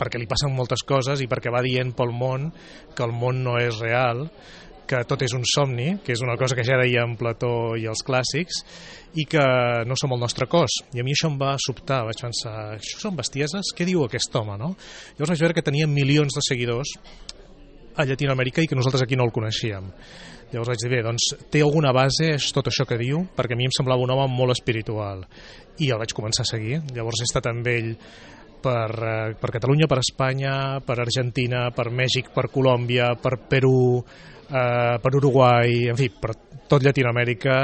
perquè li passen moltes coses i perquè va dient pel món que el món no és real, que tot és un somni, que és una cosa que ja deien Plató i els clàssics, i que no som el nostre cos. I a mi això em va sobtar, vaig pensar, això són bestieses? Què diu aquest home, no? Llavors vaig veure que tenia milions de seguidors a Llatinoamèrica i que nosaltres aquí no el coneixíem. Llavors vaig dir, bé, doncs té alguna base tot això que diu, perquè a mi em semblava un home molt espiritual. I el vaig començar a seguir. Llavors he estat amb ell per Catalunya, per Espanya, per Argentina, per Mèxic, per Colòmbia, per Perú, per Uruguai, en fi, per tot Llatinoamèrica.